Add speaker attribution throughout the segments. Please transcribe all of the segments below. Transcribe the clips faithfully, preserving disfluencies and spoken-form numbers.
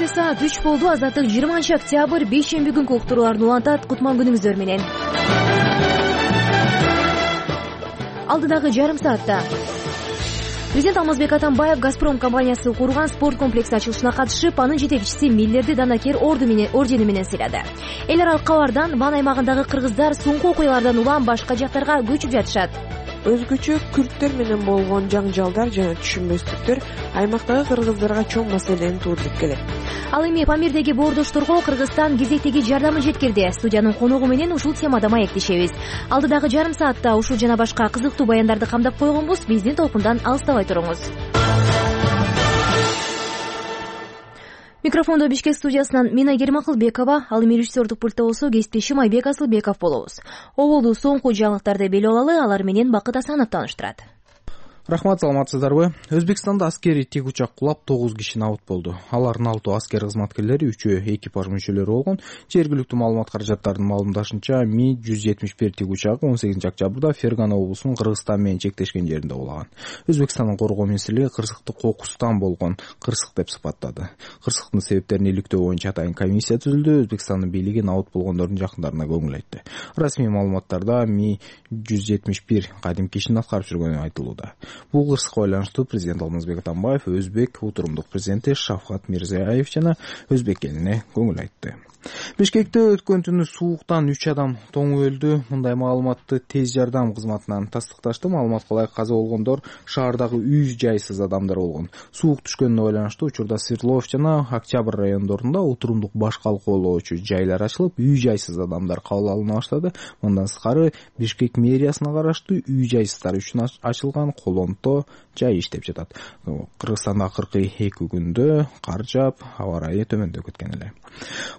Speaker 1: Кечинде саат үч болду. Азаттык жыйырманчы октябрь бейшемби күнкү уктурууларды улантат. Кутман күнүңүздөр менен. Алдыдагы жарым саатта президент Алмазбек Атамбаев Газпром компаниясы курган спорт комплекси ачылышына катышып, анын жетекчиси Миллерди Данакер ордени менен сыйлады. Эл аралык кабардан Ван аймагындагы кыргыздар соңку окуялардан улам башка жактарга көчүп жатышат.
Speaker 2: Өзгөчө күрттөр менен болгон жаңжалдар жана түшүнбөстүктөр аймактагы кыргыздарга чоң маселени туудуруп келет.
Speaker 1: Ал эми Памирдеги боордошторго Кыргызстан кезектеги жардамын жеткирди. Студиянын коногу менен ушул темада маектешебиз. Алдыдагы жарым саатта ушул жана башка кызыктуу баяндарды камдап койгонбуз. Биздин толкундан алыстабай туруңуз. Микрофондо Бишкек студиясынан мен Айгерим Акылбекова, ал эми режиссердук пультта болсо кесиптешим Айбек Асылбеков болобуз. Оболду соңку жаңылыктарды беле алалы, алар менен Бакыт Асанов тааныштырат.
Speaker 3: Рахмат, саламатсыздарбы? Өзбекстанда аскерий тик учак кулап тогуз киши набыт болду. Алардын алтоо аскер кызматкерлери, үчөө экипаж мүчөлөрү болгон. Жергиликтүү маалымат каражаттарынын маалымдашынча, Ми жүз жетимиш бир тик учагы он сегизинчи октябрда Фергана облусунун Кыргызстан менен чектешкен жеринде кулаган. Өзбекстандын коргоо министрлиги кырсыкты кокустан болгон кырсык деп сыпаттады. Кырсыктын себептерин иликтөө боюнча атайын комиссия түзүлдү. Өзбекстандын бийлиги набыт болгондордун жакындарына көңүл айтты. Расмий маалыматтарда Ми жүз жетимиш бир кадимки ишин аткарып жүргөнү айтылууда. Бул кырсыкка байланыштуу президент Алмазбек Атамбаев өзбек утурумдук президенти Шавкат Мирзиёев жана өзбек элине көңүл айтты. Бишкекте өткөн түнү сууктан үч адам тоңуп өлдү. Мындай маалыматты тез жардам кызматынан тастыкташты. Маалыматка ылайык каза болгондор шаардагы үй жайсыз адамдар болгон. Суук түшкөнүнө байланыштуу учурда Свердлов жана Октябрь райондорунда утурумдук баш калкоолоочу жайлар ачылып, үй жайсыз адамдар кабыл алына баштады. Мындан сырткары Бишкек мэриясына караштуу үй жайсыздар үчүн ачылган колонто жай иштеп жатат. Кыргызстанда акыркы эки күндө кар жаап, аба ырайы төмөндөп кеткен эле.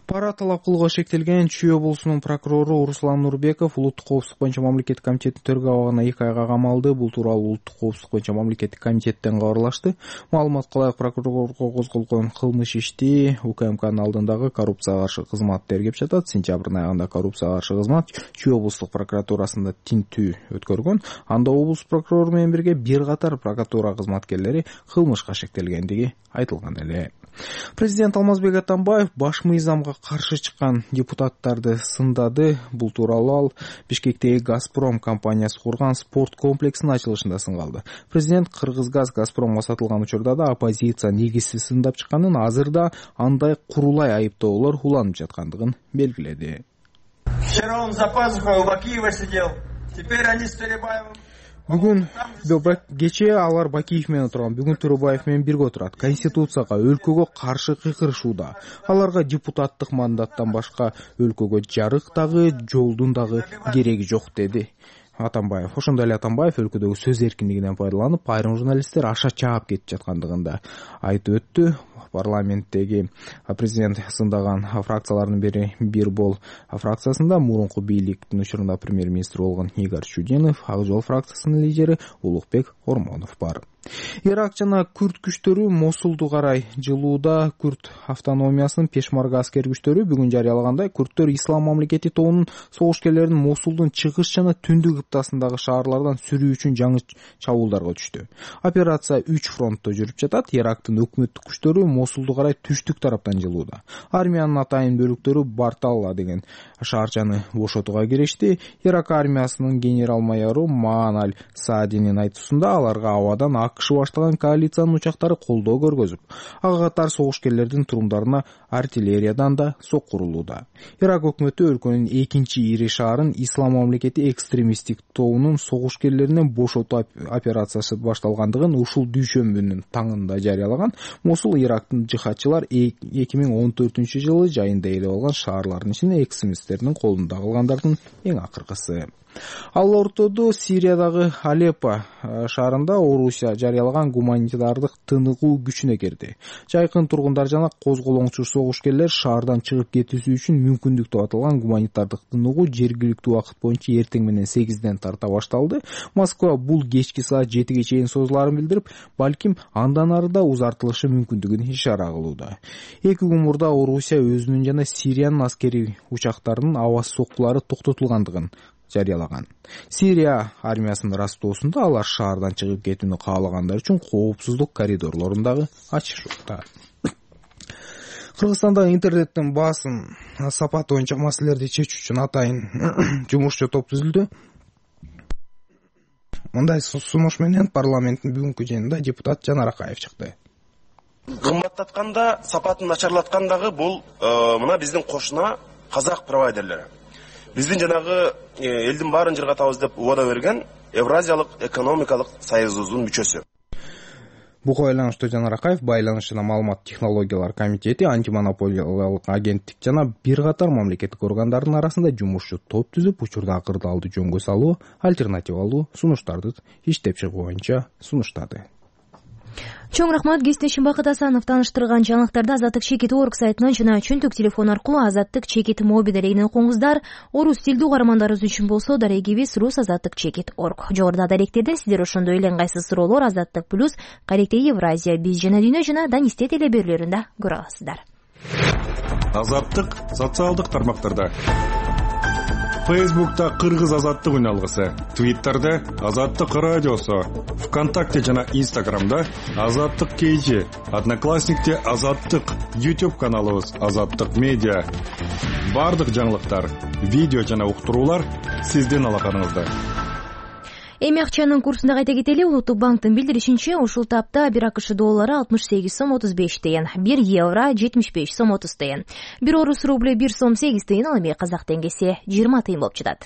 Speaker 3: Пара талап кылууга шектелген Чүй облусунун прокурору Руслан Нурбеков улуттук коопсуздук боюнча мамлекеттик комитеттин төргө абагына эки айга камалды. Бул тууралуу улуттук коопсуздук боюнча мамлекеттик комитеттен кабарлашты. Маалыматка ылайык прокурорго козголгон кылмыш ишти УКМКнын алдындагы коррупцияга каршы кызмат тергеп жатат. Сентябрдын айында коррупцияга каршы кызмат Чүй облустук прокуратурасында тинтүү өткөргөн. Анда облус прокурору менен бирге бир катар прокуратура кызматкерлери кылмышка шектелгендиги айтылган эле. Президент Алмазбек Атамбаев баш мыйзамга каршы чыккан депутаттарды сындады. Бул тууралуу ал Бишкектеги Газпром компаниясы курган спорт комплексинин ачылышында сынгалды. Президент Кыргызгаз Газпромго сатылган учурда да оппозиция негизсиз сындап чыкканын, азырда андай курулай айыптоолор уланып жаткандыгын белгиледи.
Speaker 4: Вчера он за пазухой у Бакиева сидел. Теперь они с Төрөбаевым.
Speaker 3: Бүгүн кечээ алар Бакиев менен отурган, бүгүн Төрөбаев менен бирге отурат. Конституцияга, өлкөгө каршы кыйкырышууда. Аларга депутаттык мандаттан башка өлкөгө жарык дагы, жолдун дагы кереги жок, деди Атамбаев. Ошондой эле Атамбаев өлкөдөгү сөз эркиндигинен пайдаланып, айрым журналисттер аша чаап кетип жаткандыгын да айтып өттү. Парламенттеги президент сындаган фракциялардын бири бир бол фракциясында мурунку бийликтин учурунда премьер-министр болгон Игорь Чудинов, Ак жол фракциясынын лидери Улукбек Ормонов бар. Ирак жана күрд күчтөрү Мосулду карай жылууда. Күрд автономиясынын Пешмарга аскер күчтөрү бүгүн жарыялагандай, күрдтөр Ислам мамлекети тобунун согушкерлерин Мосулдун чыгыш жана түндүк кыптасындагы шаарлардан сүрүү үчүн жаңы чабуулдарга түштү. Операция үч фронтто жүрүп жатат. Ирактын өкмөттүк күчтөрү Мосулду карай түштүк тараптан жылууда. Армиянын атайын бөлүктөрү Барталла деген шаарчаны бошотууга киришти. Ирак армиясынын генерал-майору Маан аль-Саадинин айтуусунда аларга абадан АКШ баштаган коалициянын учактары колдоо көргөзүп, ага катар согушкерлердин турумдарына артиллериядан да сокку урулууда. Ирак өкмөтү өлкөнүн экинчи ири шаарын Ислам мамлекети экстремисттик тобунун согушкерлеринен бошотуу операциясы башталгандыгын ушул дүйшөмбүнүн таңында жарыялаган. Мосул Ирактын жихадчылар эки миң он төртүнчү жылы жайында ээлеп алган шаарлардын ичинде экстремисттердин колунда калгандардын эң акыркысы. Ал ортодо Сириядагы Алеппо шаарында Орусия жарыялаган гуманитардык тыныгуу күчүнө кирди. Жайкын тургундар жана козголоңчу согушкерлер шаардан чыгып кетүүсү үчүн мүмкүндүк деп аталган гуманитардык тыныгуу жергиликтүү убакыт боюнча эртең менен сегизден тарта башталды. Москва бул кечки саат жетиге чейин созулаарын билдирип, балким андан ары да узартылышы мүмкүндүгүн ишара кылууда. Эки күн мурда Орусия өзүнүн жана Сириянын аскери учактарынын аваз соккулары токтотулгандыгын жарыялаган. Сирия армиясынын растоосунда алар шаардан чыгып кетүүнү каалагандар үчүн коопсуздук коридорлорун дагы ачышууда. Кыргызстандагы интернеттин баасын сапаты боюнча маселелерди чечүү үчүн атайын жумушчу топ түзүлдү. Мындай сунуш менен парламенттин бүгүнкү жыйынында депутат Жанар Акаев чыкты.
Speaker 5: Кымбаттатканда, сапатын начарлаткандагы бул мына биздин кошуна казак провайдерлери. Биздин жанагы элдин баарын жыргатабыз деп убада берген Евразиялык экономикалык союзубуздун мүчөсү.
Speaker 3: Буга байланыштуу Жанар Акаев байланыш жана маалымат технологиялар комитети, антимонополиялык агенттик жана бир катар мамлекеттик органдардын арасында жумушчу топ түзүп, учурдагы кырдаалды жөнгө салуу, альтернативалуу сунуштарды иштеп чыгуу боюнча сунуштады.
Speaker 1: Чоң рахмат. Кесиптешим Бакыт Асанов тааныштырган жаңылыктарды Азаттык чекит орг сайтынан жана чөнтөк телефон аркылуу Азаттык чекит моби дарегинен окуңуздар. Орус тилдүү угармандарыбыз үчүн болсо дарегибиз рус азаттык чекит орг. Жогоруда даректерде сиздер ошондой эле ыңгайсыз суроолор Азаттык плюс, Каректе Евразия, Биз жана Дүйнө жана Данисте телеберүүлөрүндө көрө аласыздар.
Speaker 6: Азаттык социалдык тармактарда. Фейсбукта Кыргыз азаттык үналгысы, Твиттерде Азаттык радиосу, ВКонтакте жана Инстаграмда Азаттык кейжи, Одноклассникте Азаттык, YouTube каналыбыз Азаттык медиа. Бардык жаңылыктар, видео жана уктуруулар сиздин алаканыңызда.
Speaker 1: Эми акчанын курсунда кайта кетели. Улуттук банктын билдиришинче, ушул тапта бир АКШ доллары алтымыш сегиз сом отуз беш тыйын, бир евро жетимиш беш сом отуз тыйын, бир орус рубль бир сом сегиз тыйын, ал эми казак теңгеси жыйырма тыйын болуп жатат.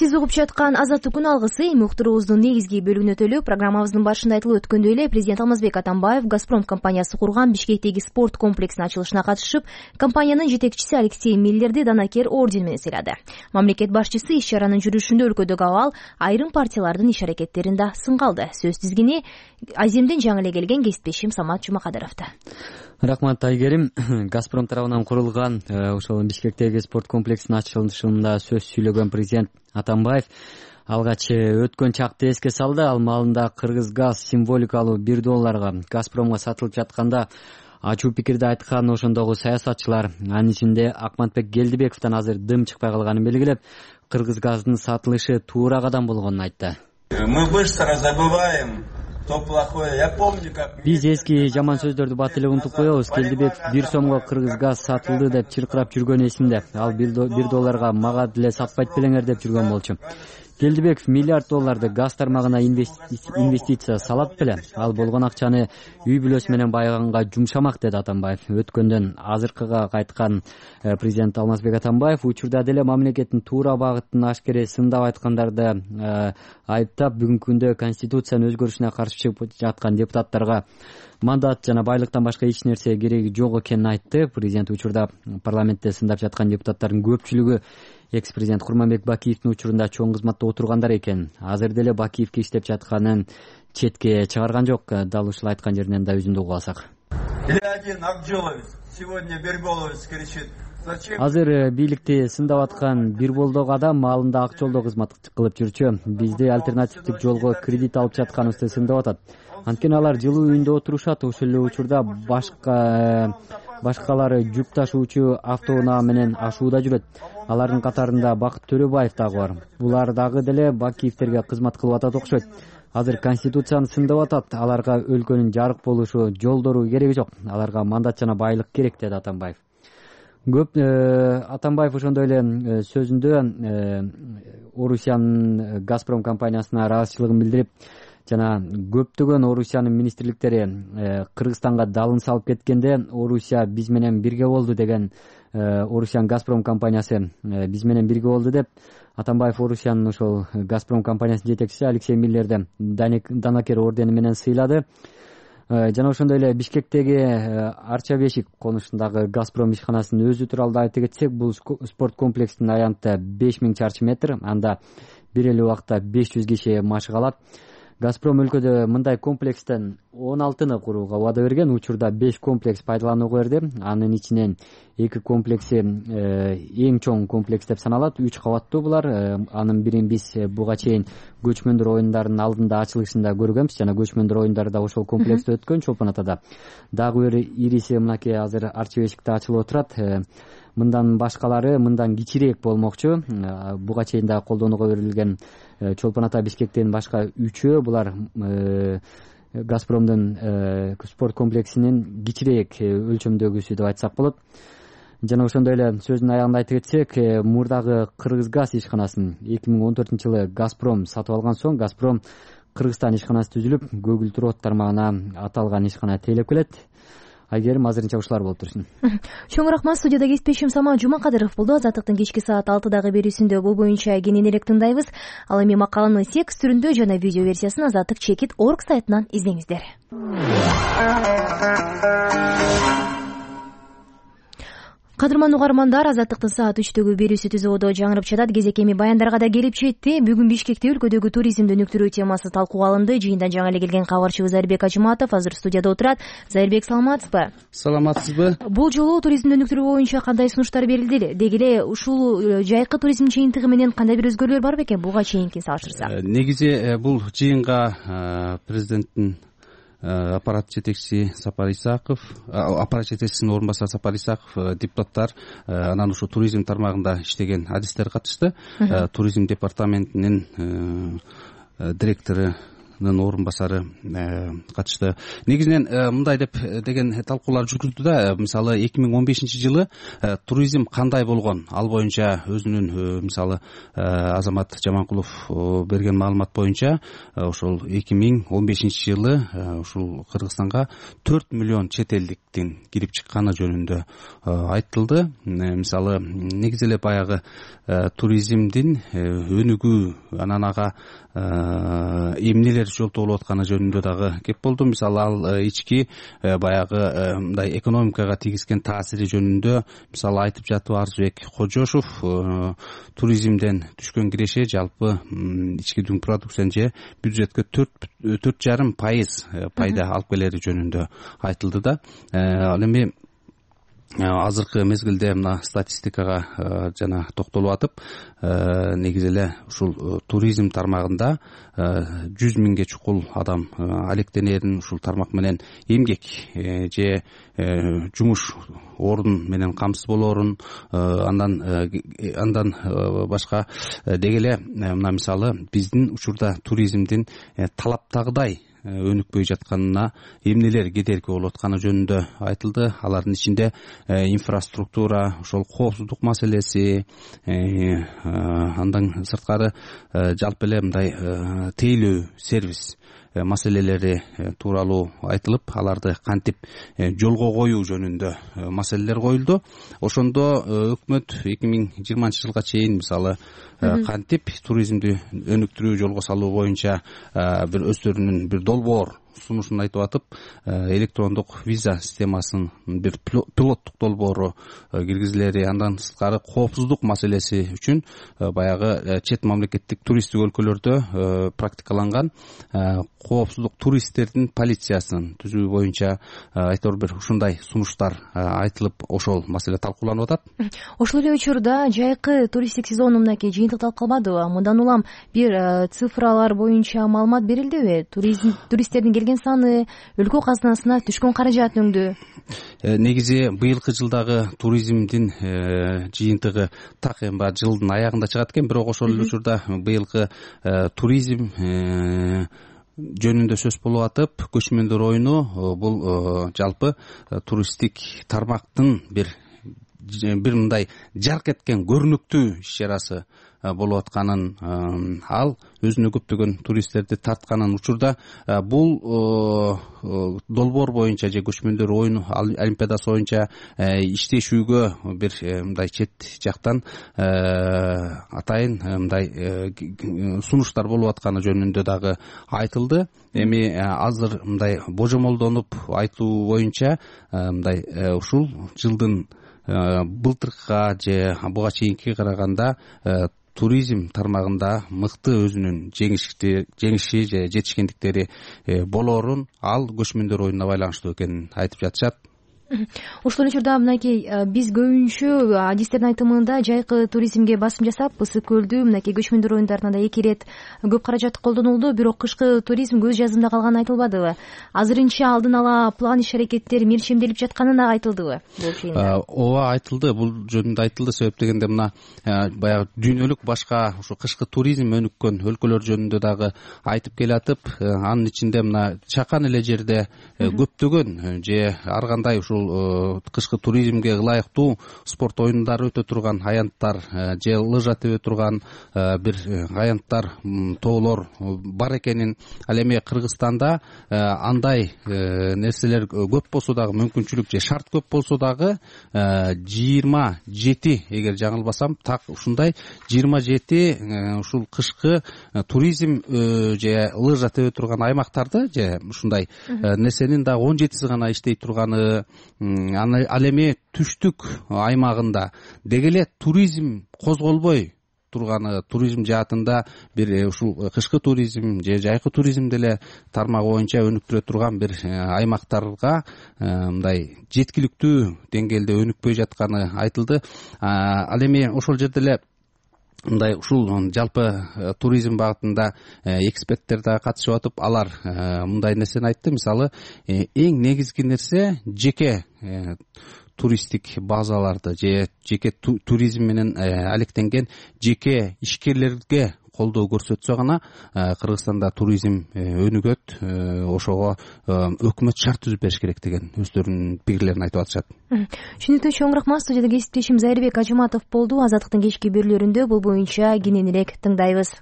Speaker 1: Сиз угуп жаткан Азаттык күн алгысы эми уктуруубуздун негизги бөлүгүнө өтөлүп, программабыздын башында айтылып өткөндөй эле президент Алмазбек Атамбаев Газпром компаниясы курган Бишкектеги спорт комплексинин ачылышына катышып, компаниянын жетекчиси Алексей Миллерди Данакер ордени менен сыйлады. Мамлекет башчысы иш-чаранын жүрүшүндө өлкөдөгү абал, айрым партиялардын иш-аракеттерин да сынга алды. Сөз тизгини Аземден жаңы эле келген кесиптешим Самат Жумакадыровдо.
Speaker 7: Рахмат Айгерим. Газпром тарабынан курулган ошол Бишкектеги спорт комплексинин ачылышында сөз сүйлөгөн президент Атамбаев алгач өткөн чакты эске салды. Ал маалында Кыргыз газ символикалуу бир долларга Газпромго сатылып жатканда ачуу пикирди айткан ошондогу саясатчылар, анын ичинде Акматбек Гелдибековдон азыр дым чыкпай калганын белгилеп, Кыргыз газдын сатылышы туура кадам болгонун айтты.
Speaker 4: Мы быстро забываем то плохое. Я помню, как
Speaker 7: Биз эски жаман сөздөрдү бат эле унутуп коебуз. Гелдибеков бир сомго Кыргыз газ сатылды деп чыркырап жүргөн эсимде. Ал бир долларга мага деле сатпайт белеңер деп жүргөн болчу. Гелдибеков миллиард долларды газ тармагына инвестиция салат беле. Ал болгон акчаны үй бүлөсү менен байыганга жумшамак, деди Атамбаев. Өткөндөн азыркыга кайткан президент Алмазбек Атамбаев учурда деле мамлекеттин туура багытын ашкере сындап айткандарды айыптап, бүгүнкү күндө конституциянын өзгөрүшүнө каршы чыгып жаткан депутаттарга мандат жана байлыктан башка эч нерсе кереги жок экенин айтты. Президент учурда парламентте сындап жаткан депутаттардын көпчүлүгү экс-президент Курманбек Бакиевдин учурунда чоң кызматта отургандар экен. Азыр деле Бакиевке иштеп жатканын четке чыгарган жок. Дал ушул айткан жеринен да үзүндү угуп алсак. Азыр бийликти сындап аткан бир болдок адам маалында ак жолдо кызмат кылып жүрчү. Бизди альтернативдик жолго кредит алып жатканыбызды сындап атат. Анткени алар жылуу үйүндө отурушат. Ошол эле учурда башка башкалары жүк ташуучу автоунаа менен ашууда жүрөт. Алардын катарында Бакыт Төрөбаев дагы бар. Булар дагы деле Бакиевтерге кызмат кылып атат окшойт. Азыр конституцияны сындап атат. Аларга өлкөнүн жарык болушу, жолдору кереги жок. Аларга мандат жана байлык керек, деди Атамбаев. Көп Атамбаев ошондой эле сөзүндө Орусиянын Газпром компаниясына ыраазычылыгын билдирип, жана көптөгөн Орусиянын министрликтери Кыргызстанга далын салып кеткенде Орусия биз менен бирге болду деген, Орусиянын Газпром компаниясы биз менен бирге болду деп, Атамбаев Орусиянын ошол Газпром компаниясынын жетекчиси Алексей Миллерди Данакер ордени менен сыйлады. Жана ошондой эле Бишкектеги Арча бешик конушундагы Газпром ишканасынын өзү тууралуу айта кетсек, бул спорт комплексинин аянты беш миң чарчы метр, анда бир эле убакта беш жүз киши машык алат. Газпром өлкөдө мындай комплекстен он алтыны курууга убада берген. Учурда беш комплекс пайдаланууга берди. Анын ичинен эки комплекси эң чоң комплекс деп саналат. үч кабаттуу булар. Анын бирин биз буга чейин көчмөндөр оюндарынын алдында ачылышында көргөнбүз, жана көчмөндөр оюндары да ошол комплекste өткөн Чолпон Атада. Дагы бир ириси мынакей азыр Арча бешикте ачылып отурат. Мындан башкалары мындан кичирээк болмокчу. Буга чейин да колдонууга берилген Чолпон Ата Бишкектен башка үчөө булар Газпромдун спорт комплексинин кичирээк өлчөмдөгүсү деп айтсак болот. Жана ошондой эле сөзүнүн аягында айтып кетсек, мурдагы Кыргызгаз ишканасын эки миң он төртүнчү жылы Газпром сатып алган соң Газпром Кыргызстан ишканасы түзүлүп, көгүлдүр от тармагына аталган ишкана тейлеп келет. Айгерим, азырынча ушулар болуп турсун.
Speaker 1: Чоң рахмат. Студияда кесиптешим Самат Жумакадыров болду. Азаттыктын кечки саат алтыдагы берүүсүндө бул боюнча кененирээк тыңдайбыз. Ал эми макаланын текст түрүндө жана видео версиясын азаттык чекит точка орг сайтынан издеңиздер. Кадырман угармандар, Азаттыктын саат үчтөгү берүүсү түз ободо жаңырып жатат. Кезек эми баяндарга да келип жетти. Бүгүн Бишкекте өлкөдөгү туризмди өнүктүрүү темасы талкууга алынды. Жыйындан жаңы эле келген кабарчыбыз Зайырбек Ажыматов азыр студияда отурат. Зайырбек, саламатсызбы?
Speaker 8: Саламатсызбы?
Speaker 1: Бул жолу туризмди өнүктүрүү боюнча кандай сунуштар берилди? Деги эле ушул жайкы туризм жыйынтыгы менен кандай бир өзгөрүүлөр бар бекен буга чейинкин салыштырсак?
Speaker 8: Негизи бул жыйынга президенттин аппарат жетекчиси Сапар Исаков, аппарат жетекчисинин орун басары Сапар Исаков, депутаттар, анан ушу туризм тармагында иштеген адистер катышты. Туризм департаментинин директору орун басары катышты. Негизинен мындай деп деген талкуулар жүргүздү да, мисалы эки миң он бешинчи жылы туризм кандай болгон, ал боюнча өзүнүн мисалы Азамат Жаманкулов берген маалымат боюнча ошол эки миң он бешинчи жылы ушул Кыргызстанга төрт миллион чет элдиктин кирип чыкканы жөнүндө айтылды. Мисалы негизи эле баягы туризмдин өнүгүү, анан ага эмнелер жолтоо болуп атканы жөнүндө дагы кеп болду. Мисалы ал ички баягы мындай экономикага тийгизген таасири жөнүндө мисалы айтып жатып Арзыбек Кожошов туризмден түшкөн киреше жалпы ички дүң продукцияны же бюджетке төрт жарым пайыз пайда алып келери жөнүндө айтылды да. Ал эми азыркы мезгилде мына статистикага жана токтолуп атып, негизи эле ушул туризм тармагында жүз миңге чукул адам алектенерин, ушул тармак менен эмгек же жумуш орун менен камсыз болоорун, андан андан башка деги эле мына мисалы биздин учурда туризмдин талаптагыдай өнүкпөй жатканына эмнелер кедерги болуп атканы жөнүндө айтылды. Алардын ичинде инфраструктура, ошол коопсуздук маселеси, андан сырткары жалпы эле мындай тейлөө сервис маселелери тууралуу айтылып, аларды кантип жолго коюу жөнүндө маселелер коюлду. Ошондо өкмөт эки миң жыйырманчы жылга чейин мисалы кантип туризмди өнүктүрүү жолго салуу боюнча бир өздөрүнүн бир долбоор сунушун айтып атып, электрондук виза системасынын бир пилоттук долбоору киргизилери, андан сырткары коопсуздук маселеси үчүн баягы чет мамлекеттик туристтик өлкөлөрдө практикаланган коопсуздук туристтердин полициясын түзүү боюнча айтор бир ушундай сунуштар айтылып, ошол маселе талкууланып атат.
Speaker 1: Ошол эле учурда жайкы туристтик сезон мынакей жыйынтыкталып калбадыбы? Мындан улам бир цифралар боюнча маалымат берилдиби? Туризм туристтердин келген саны, өлкө казынасына түшкөн каражат өңдү?
Speaker 8: Негизи быйылкы жылдагы туризмдин жыйынтыгы так эми баягы жылдын аягында чыгат экен, бирок ошол эле учурда быйылкы туризм жөнүндө сөз болуп атып, көчмөндөр оюну бул жалпы туристтик тармактын бир бир мындай жарк эткен көрүнүктүү иш чарасы болуп атканын, ал өзүнө көптөгөн туристтерди тартканын учурда бул долбоор боюнча же көчмөндөр оюну олимпиадасы боюнча иштешүүгө бир мындай чет жактан атайын мындай сунуштар болуп атканы жөнүндө дагы айтылды. Эми азыр мындай божомолдонуп айтуу боюнча мындай ушул жылдын былтыркыга же буга чейинкиге караганда туризм тармагында мыкты өзүнүн жеңиши же жетишкендиктери болоорун, ал көчмөндөр оюнуна байланыштуу экенин айтып жатышат.
Speaker 1: ошол учурда мынакей биз көбүнчө адистердин айтымында жайкы туризмге басым жасап, ысык көлдү мынакей көчмөндөр оюндарына да эки ирет көп каражат колдонулду, бирок кышкы туризм көз жазымда калганы айтылбадыбы? Азырынча алдын ала план иш аракеттер мелчемделип жатканы да айтылдыбы бул жыйында?
Speaker 8: Ооба, айтылды. Бул жөнүндө айтылды. Себеп дегенде мына баягы дүйнөлүк башка ушу кышкы туризм өнүккөн өлкөлөр жөнүндө дагы айтып келатып, анын ичинде мына чакан эле жерде көптөгөн же ар кандай ушул кышкы туризмге ылайыктуу спорт оюндары өтө турган аянттар же лыжа тебе турган бир аянттар, тоолор бар экенин, ал эми Кыргызстанда андай нерселер көп болсо дагы, мүмкүнчүлүк же шарт көп болсо дагы жыйырма жети, эгер жаңылбасам, так ушундай жыйырма жети ушул кышкы туризм же лыжа тебе турган аймактарды же ушундай нерсенин дагы он жетиси гана иштей турганы, ал эми түштүк аймагында деги эле туризм козголбой турганы, туризм жаатында бир ушул кышкы туризм же жайкы туризмди эле тармагы боюнча өнүктүрө турган бир аймактарга мындай жеткиликтүү деңгээлде өнүкпөй жатканы айтылды. Ал эми ошол жерде эле мындай ушул жалпы туризм багытында эксперттер да катышып атып, алар мындай нерсени айтты. Мисалы, эң негизги нерсе жеке туристтик базаларды же жеке туризм менен алектенген жеке ишкерлерге колдоо көрсөтсө гана Кыргызстанда туризм өнүгөт, ошого өкмөт шарт түзүп бериш керек деген өздөрүнүн пикирлерин айтып атышат.
Speaker 1: Түшүнүктүү, чоң рахмат. Студияда кесиптешим Зайырбек Ажыматов болду. Азаттыктын кечки берүүлөрүндө бул боюнча кененирээк тыңдайбыз.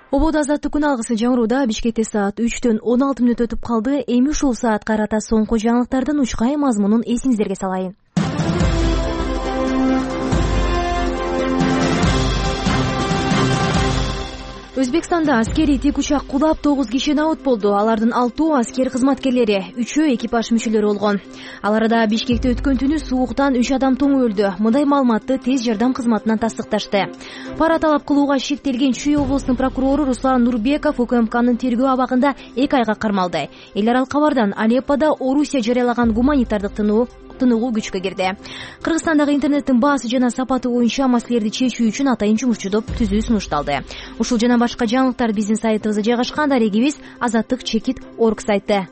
Speaker 1: Ободо азаттык күн алгысы жаңырууда. Бишкекте саат үчтөн он алты мүнөт өтүп калды. Эми ушул саатка карата соңку жаңылыктардын учкай мазмунун эсиңиздерге салайын. Өзбекстанда аскерий тик учак кулап тогуз киши набыт болду. Алардын алтоо аскер кызматкерлери, үчөө экипаж мүчөлөрү болгон. Ал арада Бишкекте өткөн түнү сууктан үч адам тоңуп өлдү. Мындай маалыматты тез жардам кызматынан тастыкташты. Пара талап кылууга шектелген Чүй облусунун прокурору Руслан Нурбеков УКМКнын тергөө абагында эки айга кармалды. Эл аралык кабардан Алеппода Орусия жарыялаган гуманитардык тынуу тыныгуу күчкө кирди. Кыргызстандагы интернеттин баасы жана сапаты боюнча маселелерди чечүү үчүн атайын жумушчу топ түзүү сунушталды. Ушул жана башка жаңылыктар биздин сайтыбызда жайгашкан. Дарегибиз азаттык чекит орг сайты.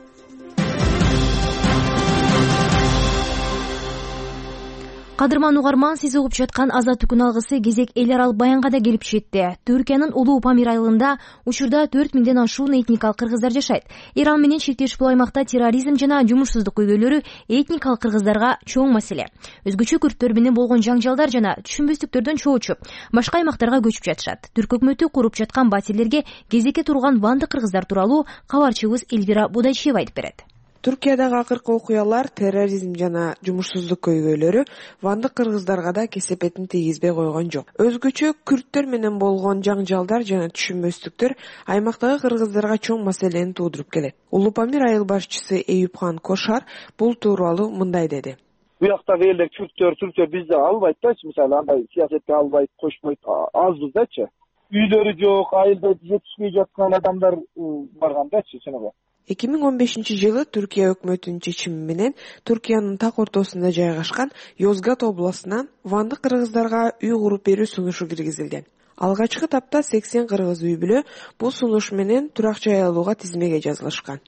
Speaker 1: Кадырман угарман, сиз угуп жаткан азаттык күн алгысы кезек эл аралык баянга да келип жетти. Түркиянын Улуу Памир айылында учурда төрт миңден ашуун этникалык кыргыздар жашайт. Иран менен чектеш бул аймакта терроризм жана жумушсуздук көйгөйлөрү этникалык кыргыздарга чоң маселе. Өзгөчө күрттөр менен болгон жаңжалдар жана түшүнбөстүктөрдөн чоочуп, башка аймактарга көчүп жатышат. Түрк өкмөтү куруп жаткан батирлерге кезекке турган ванды кыргыздар тууралуу кабарчыбыз Эльвира Будайчиева айтып берет.
Speaker 2: Түркиядагы акыркы окуялар, терроризм жана жумушсуздук көйгөйлөрү вандык кыргыздарга да кесепетин тийгизбей койгон жок. Өзгөчө күрттөр менен болгон жаңжалдар жана түшүнбөстүктөр аймактагы кыргыздарга чоң маселени туудуруп келет. Улуу Памир айыл башчысы Эюпхан Кошар бул тууралуу мындай деди.
Speaker 9: Буяктагы элдер күрттөр, түрктөр бизди албайт да, мисалы андай саясатка албайт, кошпойт, азбыз дачы. Үйлөрү жок, айылда жетишпей жаткан адамдар барган дачы, чыныгы.
Speaker 2: эки миң он бешинчи жылы Түркия өкмөтүнүн чечими менен Түркиянын так ортосунда жайгашкан Йозгат областынан вандык кыргыздарга үй куруп берүү сунушу киргизилген. Алгачкы тапта сексен кыргыз үй бүлө бул сунуш менен турак жай алууга тизмеге жазылышкан.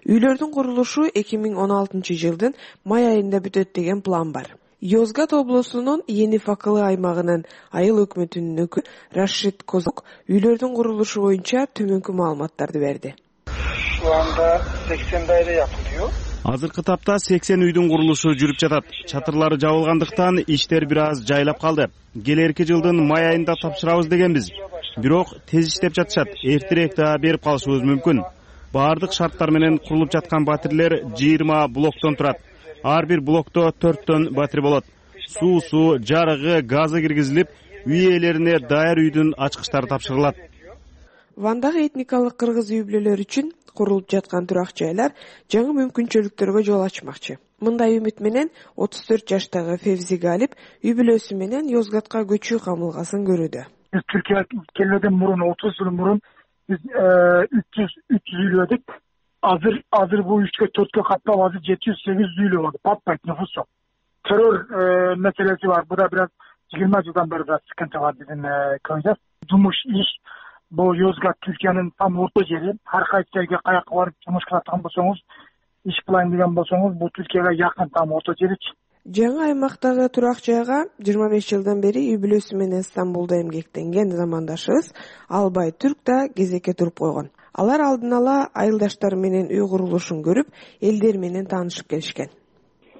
Speaker 2: Үйлөрдүн курулушу эки миң он алтынчы жылдын май айында бүтөт деген план бар. Йозгат облусунун Ени Факылы аймагынын айыл өкмөтүнүн өкүлү Рашид Козок үйлөрдүн курулушу боюнча төмөнкү маалыматтарды берди.
Speaker 9: Анда сексен дайре yapılıyor.
Speaker 10: Азыркы тапта сексен үйдүн курулушу жүрүп жатат. Чатырлары жабылгандыктан иштер бир аз жайлап калды. Келерки жылдын май айында тапшырабыз дегенбиз. Бирок тез иштеп жатышат. Эртерээк да берип калышыбыз мүмкүн. Баардык шарттар менен курулуп жаткан батирлер жыйырма блоктон турат. Ар бир блокто төрттөн батир болот. Суусу, жарыгы, газы киргизилип, үй ээлерине даяр үйдүн ачкычтары тапшырылат.
Speaker 2: Вандагы этникалык кыргыз үй бүлөлөр үчүн курулуп жаткан турак жайлар жаңы мүмкүнчүлүктөргө жол ачмакчы. Мындай үмүт менен отуз төрт жаштагы Февзи Галип үй бүлөсү менен Йозгатка көчүү камылгасын көрүүдө.
Speaker 9: Türkiye kelmeden murun otuz yıl murun
Speaker 11: биз үч жүз үч жүз үйлөдүк. Азыр азыр бул үчкө төрткө каттап азыр жети жүз сегиз жүз үйлө болду. Патпайт нуфус жок. Террор маселеси бар. Буда бираз жыйырма жылдан бери бираз sıkıntı бар биздин көйдө. Жумуш иш бул Yozgat Түркиянын там орто жери. Ар кайсы жерге каяка барып жумуш кылаткан болсоңуз, иш кылайын деген болсоңуз, бул Түркияга жакын там орто жеричи.
Speaker 2: Жаңы аймактагы турак жайга жыйырма беш жылдан бери үй бүлөсү менен Стамбулда эмгектенген замандашыбыз Албай Түрк да кезекке туруп койгон. Алар алдын ала айылдаштары менен үй курулушун көрүп, элдер менен таанышып келишкен.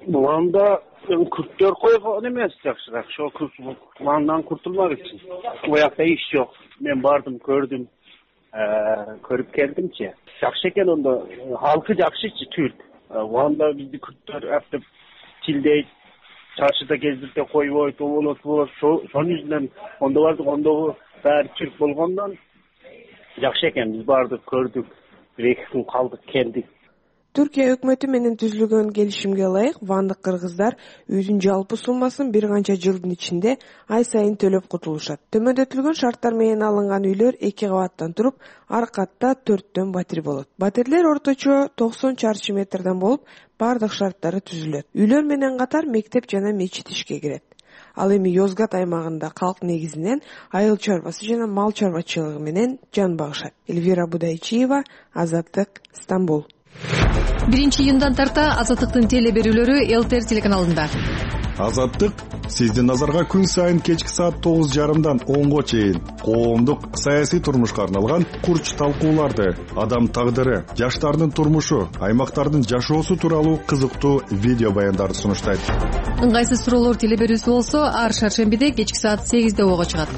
Speaker 12: Буланда күрттөр койгон эмес, жакшыраак. Ошо пландан куртулмак үчүн. Буякта иш жок. Мен бардым, көрдүм, көрүп келдимчи. Жакшы экен ондо, халкы жакшычы Түрк. Буланда бизди күрттөр аптып тилдейт, чарчыда кездирте койбойт, болот болот. Ошонун жүзүнөн ондо бардык, ондогу баары Түрк болгондон жакшы экен. Биз бардык, көрдүк, бир эки күн калдык, келдик.
Speaker 2: Түркия өкмөтү менен түзүлгөн келишимге ылайык вандык кыргыздар үйдүн жалпы суммасын бир канча жылдын ичинде ай сайын төлөп кутулушат. Төмөндөтүлгөн шарттар менен алынган үйлөр эки кабаттан туруп, ар катта төрттөн батир болот. Батирлер орточо токсон чарчы метрден болуп, бардык шарттары түзүлөт. Үйлөр менен катар мектеп жана мечит ишке кирет. Ал эми Yozgat аймагында калк негизинен айыл чарбасы жана мал чарбачылыгы менен жан багышат. Эльвира Будайчиева, Азаттык, Стамбул.
Speaker 13: биринчи июндан тарта Азаттыктын теле берүүлөрү ЛТР телеканалында.
Speaker 6: Азаттык сиздин назарга күн сайын кечки саат тогуз жарымдан онго чейин коомдук саясий турмушка арналган курч талкууларды, адам тагдыры, жаштардын турмушу, аймактардын жашоосу тууралуу кызыктуу видео баяндарды сунуштайт.
Speaker 13: Ыңгайсыз суроолор теле берүүсү болсо, ар шаршембиде кечки саат сегизде ого чыгат.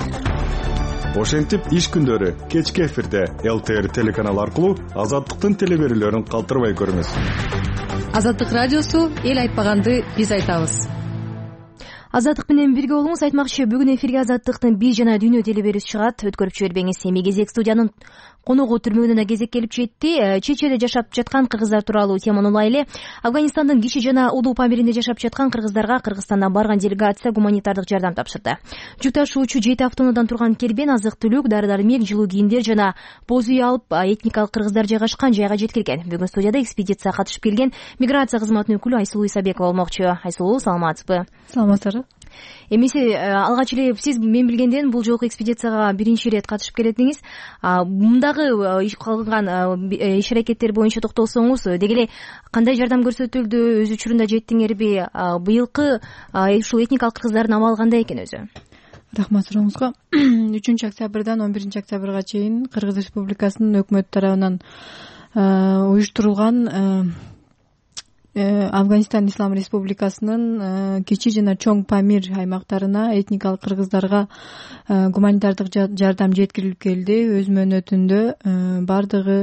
Speaker 6: Ошентип иш күндөрү кечки эфирде ЛТР телеканалы аркылуу Азаттыктын теле берүүлөрүн калтырбай көрүңүз.
Speaker 13: Азаттык радиосу эл айтпаганды биз айтабыз.
Speaker 1: Азаттык менен бирге болуңуз. Айтмакчы, бүгүн эфирге Азаттыктын биз жана дүйнө теле берүүсү чыгат. Өткөрүп жибербеңиз. Эми кезек студиянын коногу түрмөгүнөн кезек келип жетти. Чечеде жашап жаткан кыргыздар тууралуу теманы улайлы. Афганистандын Кичи жана Улуу Памиринде жашап жаткан кыргыздарга Кыргызстандан барган делегация гуманитардык жардам тапшырды. Жүк ташуучу жети автоунаадан турган кербен азык-түлүк, дары-дармек, жылуу кийимдер жана боз үй алып, этникалык кыргыздар жайгашкан жайга жеткирген. Бүгүн студияда экспедицияга катышып келген миграция кызматынын өкүлү Айсулуу Исабекова болмокчу. Айсулуу, саламатсызбы?
Speaker 13: Саламатсызбы.
Speaker 1: Эмесе алгач эле сиз мен билгенден бул жолку экспедицияга биринчи ирет катышып келетиңиз. Мындагы иш кылган иш аракеттер боюнча токтолсоңуз, деги эле кандай жардам көрсөтүлдү, өз учурунда жеттиңерби? Быйылкы ушул этникалык кыргыздардын абалы кандай экен өзү?
Speaker 14: Рахмат сурооңузга. үчүнчү октябрдан он биринчи октябрга чейин Кыргыз Республикасынын өкмөтү тарабынан уюштурулган Афганистан Ислам Республикасынын Кичи жана Чоң Памир аймактарына этникалык кыргыздарга гуманитардык жардам жеткирилип келди. Өз мөөнөтүндө бардыгы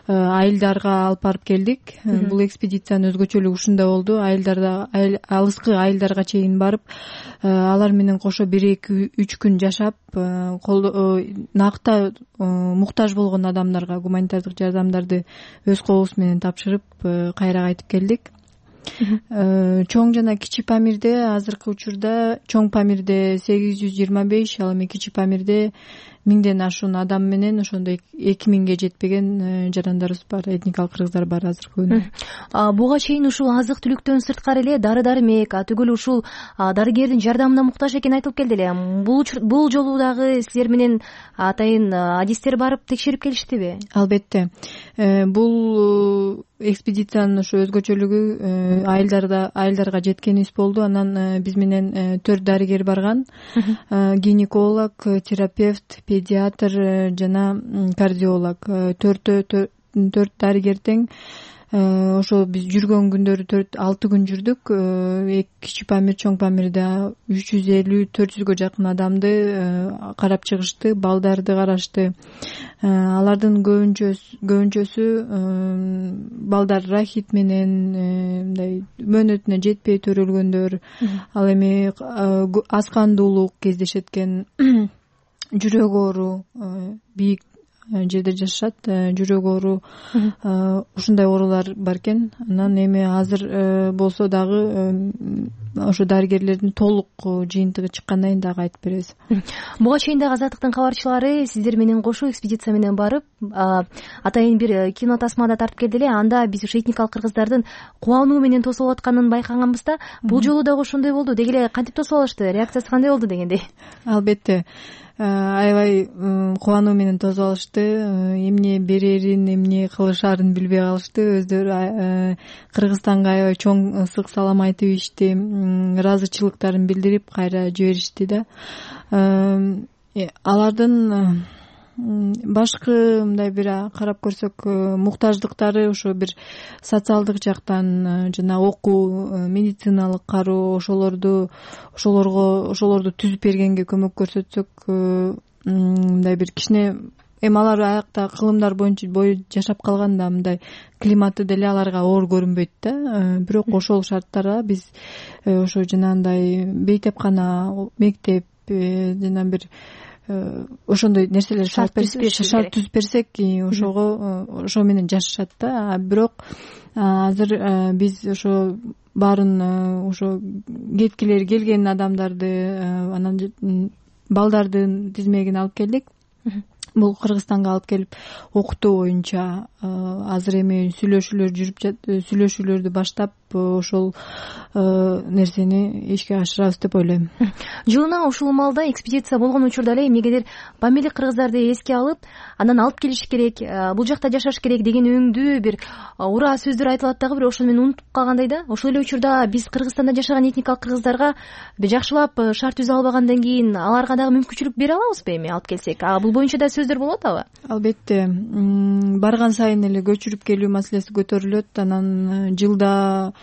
Speaker 14: айылдарга алып барып келдик. Бул экспедициянын өзгөчөлүгү ушунда болду. Айылдарда, алыскы айылдарга чейин барып, алар менен кошо бир эки үч күн жашап, накта муктаж болгон адамдарга гуманитардык жардамдарды өз колубуз менен тапшырып, кайра кайтып келдик. Чоң жана Кичи Памирде азыркы учурда Чоң Памирде сегиз жүз жыйырма беш, ал эми Кичи Памирде миңден ашуун адам менен ошондой эки миңге жетпеген жарандарыбыз бар, этникалык кыргыздар бар азыркы күндө.
Speaker 1: Буга чейин ушул азык-түлүктөн сырткары эле дары-дармек, түгүл ушул дарыгердин жардамына муктаж экени айтылып келди эле. Бул бул жолу дагы силер менен атайын адистер барып текшерип келиштиби?
Speaker 14: Албетте. Бул экспедициянын ошо өзгөчөлүгү айылдарда айылдарга жеткенибиз болду. Анан биз менен төрт дарыгер барган. Гинеколог, терапевт, педиатр жана кардиолог. Төртөө төрт дарыгер тең. Ошо биз жүргөн күндөрү төрт алты күн жүрдүк. Кичи Памир, Чоң Памирде үч жүз элүү төрт жүзгө жакын адамды карап чыгышты, балдарды карашты. Алардын көбүнчөсү көбүнчөсү балдар рахит менен мындай мөөнөтүнө жетпей төрөлгөндөр, ал эми аз кандуулук кездешет экен, жүрөк оору, бийик жерде жашашат, жүрөк оору, ушундай оорулар бар экен. Анан эми азыр болсо дагы ошо дарыгерлердин толук жыйынтыгы чыккандан кийин дагы айтып беребиз.
Speaker 1: Буга чейин дагы Азаттыктын кабарчылары сиздер менен кошо экспедиция менен барып атайын бир кино тасмада тартып келди эле. Анда биз ушу этникалык кыргыздардын кубануу менен тосуп атканын байкаганбыз да. Бул жолу дагы ошондой болду. Деги эле кантип тосуп алышты? Реакциясы кандай болду дегендей?
Speaker 14: Албетте аябай кубануу менен тосуп алышты. Эмне берерин, эмне кылышаарын билбей калышты. Өздөрү Кыргызстанга аябай чоң ысык салам айтып ийишти, ыраазычылыктарын билдирип кайра жиберишти да. Алардын башкы мындай бир карап көрсөк муктаждыктары ошо бир социалдык жактан жана окуу, медициналык кароо ошолорду ошолорго ошолорду түзүп бергенге көмөк көрсөтсөк мындай бир кичине эми алар аякта кылымдар боюнча бою жашап калган да мындай климаты деле аларга оор көрүнбөйт да. Бирок ошол шарттарда биз ошо жанагындай бейтепкана, мектеп жана бир ошондой нерселер шарт түзүп берсек ошого ошо менен жашашат да. Бирок азыр биз ошо баарын ошо кеткилери келген адамдарды анан балдардын тизмегин алып келдик. Бул Кыргызстанга алып келип окутуу боюнча азыр эми сүйлөшүүлөр жүрүп жатат. Сүйлөшүүлөрдү баштап ошол нерсени ишке ашырабыз деп ойлойм.
Speaker 1: Жылына ушул маалда экспедиция болгон учурда эле эмнегедир памирлик кыргыздарды эске алып, анан алып келиш керек, бул жакта жашаш керек деген өңдүү бир ура сөздөр айтылат дагы, бирок ошону мен унутуп калгандай да. Ошол эле учурда биз Кыргызстанда жашаган этникалык кыргыздарга жакшылап шарт түзө албагандан кийин аларга дагы мүмкүнчүлүк бере алабызбы эми алып келсек? Бул боюнча да сөздөр болуп атабы?
Speaker 14: Албетте. Барган сайын эле көчүрүп келүү маселеси көтөрүлөт. Анан жылда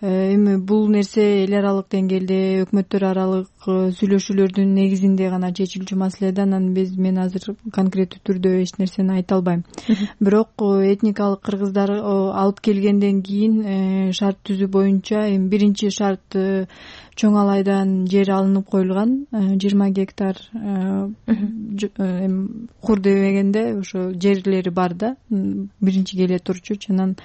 Speaker 14: эми бул нерсе эл аралык деңгээлде өкмөттөр аралык сүйлөшүүлөрдүн негизинде гана чечилчү маселе да. Анан биз мен азыр конкреттүү түрдө эч нерсени айта албайм. Бирок этникалык кыргыздар алып келгенден кийин шарт түзүү боюнча эми биринчи шарт Чоң Алайдан жер алынып коюлган, жыйырма гектар эми кур дебегенде ошо жерлери бар да, биринчи келе турчу. Анан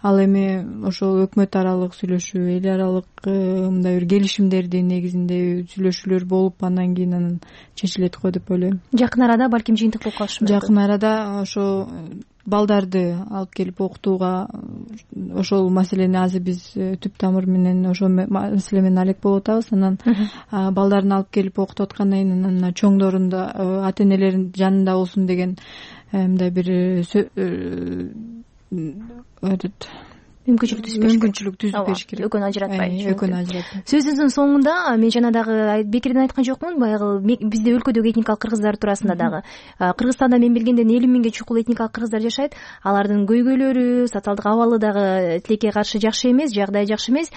Speaker 14: ал эми ошол өкмөт аралык сүйлөшүү, эл аралык мындай бир келишимдердин негизинде сүйлөшүүлөр болуп, андан кийин анан чечилет го деп ойлойм.
Speaker 1: Жакын арада балким жыйынтык болуп калышы мүмкүн.
Speaker 14: Жакын арада ошо балдарды алып келип окутууга ошол маселени азыр биз түп тамыр менен ошол маселе менен алек болуп атабыз. Анан балдарын алып келип окутуп аткандан кийин анан чоңдорун да ата энелерин жанында болсун деген мындай бир мүмкүнчүлүк түзүп бериш керек.
Speaker 1: Экөөнү ажыратпай.
Speaker 14: Экөөнү ажыратпай.
Speaker 1: Сөзүңүздүн соңунда мен жана дагы бекерден айткан жокмун, баягы бизде өлкөдөгү этникалык кыргыздар туурасында дагы. Кыргызстанда мен билгенден элүү миңге чукул этникалык кыргыздар жашайт. Алардын көйгөйлөрү, социалдык абалы дагы тилекке каршы жакшы эмес, жагдайы жакшы эмес.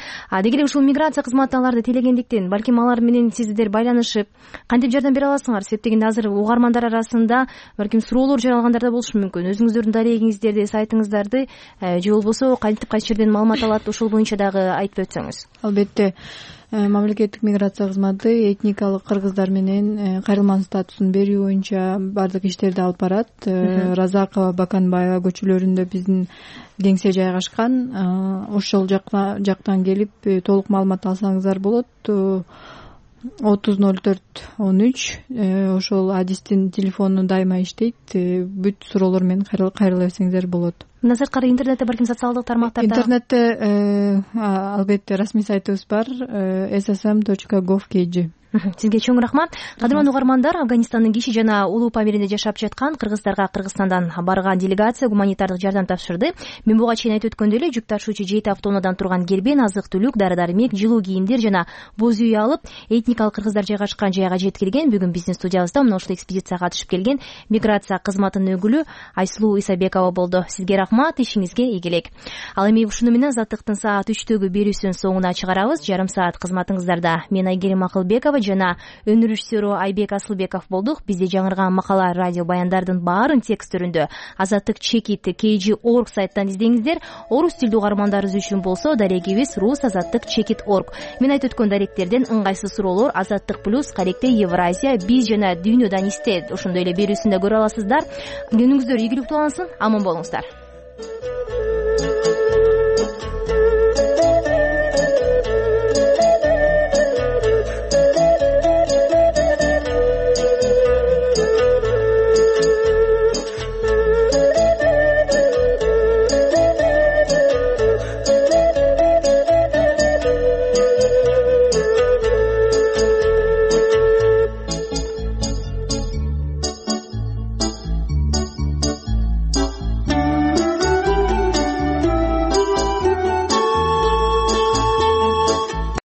Speaker 1: Деги эле ушул миграция кызматы аларды тейлегендиктен балким алар менен сиздер байланышып кантип жардам бере аласыңар? Себеп дегенде азыр угармандар арасында балким суроолор жаралгандар да болушу мүмкүн. Өзүңүздөрдүн дарегиңиздерди, сайтыңыздарды же болбосо кантип кайсы жерден маалымат алат, ошол боюнча дагы айтып өтсөңүз.
Speaker 14: Албетте. Мамлекеттик миграция кызматы этникалык кыргыздар менен кайрылман статусун берүү боюнча бардык иштерди алып барат. Разакова, Баканбаева көчөлөрүндө биздин кеңсе жайгашкан. Ошол жактан келип толук маалымат алсаңыздар болот. отуз ноль төрт он үч ошол адистин телефону дайыма иштейт. Бүт суроолор менен кайрыла берсеңиздер болот.
Speaker 1: Мындан сырткары интернетте балким социалдык тармактарда
Speaker 14: интернетте албетте расмий сайтыбыз бар эс эс эм точка гов точка кей джи.
Speaker 1: Сизге чоң рахмат. Кадырман угармандар, Афганистандын Киши жана Улуу Памиринде жашап жаткан кыргыздарга Кыргызстандан барган делегация гуманитардык жардам тапшырды. Мен буга чейин айтып өткөндөй эле жүк ташуучу жети автоунаадан турган кербен азык-түлүк, дары-дармек, жылуу кийимдер жана боз үй алып, этникалык кыргыздар жайгашкан жайга жеткирген. Бүгүн биздин студиябызда мына ушул экспедицияга катышып келген миграция кызматынын өкүлү Айсулуу Исабекова болду. Сизге рахмат, ишиңизге ийгилик. Ал эми ушуну менен Азаттыктын саат үчтөгү берүүсүнүн соңуна чыгарабыз. Жарым саат кызматыңыздарда мен Айгерим Акылбекова жана өнөр режиссеру Айбек Асылбеков болдук. Бизде жаңырган макала, радио баяндардын баарын тексттеринде азаттык чекит кей джи точка орг сайттан издеңиздер. Орус тилдүү угармандарыбыз үчүн болсо дарегибиз рус азаттык чекит точка орг. Мен айтып өткөн даректерден ыңгайсыз суроолор Азаттык плюс, Каректе Евразия, биз жана дүйнөдөн истет ошондой эле берүүсүндө көрө аласыздар. Күнүңүздөр ийгиликтүү улансын, аман болуңуздар.